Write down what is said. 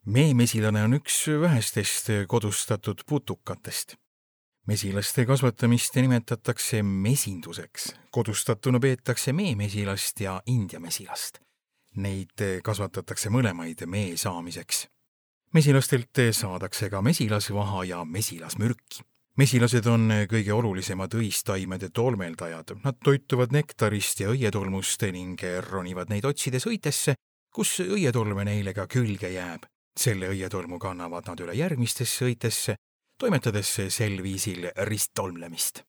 Meemesilane on üks vähestest kodustatud putukatest. Mesilaste kasvatamist nimetatakse mesinduseks. Kodustatuna peetakse meemesilast ja India mesilast. Neid kasvatatakse mõlemaid mee saamiseks. Mesilastelt saadakse ka mesilasvaha ja mesilasmürki. Mesilased on kõige olulisemad õistaimede tolmeldajad. Nad toituvad nektarist ja õietolmust ning ronivad neid otsides õitesse, kus õietolme neile ka külge jääb. Selle õietolmu kannavad nad üle järgmistesse õitesse, toimetades sel viisil risttolmlemist.